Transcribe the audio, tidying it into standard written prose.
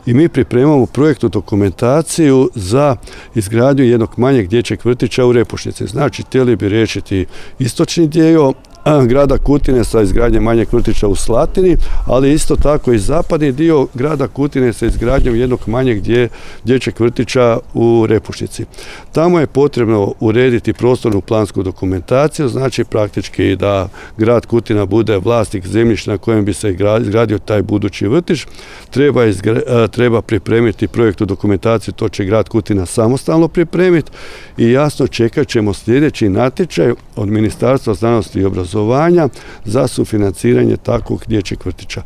i mi pripremamo projektnu dokumentaciju za izgradnju jednog manjeg dječjeg vrtića u Repušnici. Znači, htjeli bi riješiti istočni dio grada Kutine sa izgradnjem manjeg vrtića u Slatini, ali isto tako i zapadni dio grada Kutine sa izgradnjom jednog manjeg dječjeg vrtića u Repušnici. Tamo je potrebno urediti prostornu plansku dokumentaciju, znači praktički da grad Kutina bude vlasnik zemljišta na kojem bi se izgradio taj budući vrtić. Treba pripremiti projektnu dokumentaciju, to će grad Kutina samostalno pripremiti i jasno čekat ćemo sljedeći natječaj od Ministarstva znanosti i obrazovanja za sufinanciranje takvog dječjeg vrtića.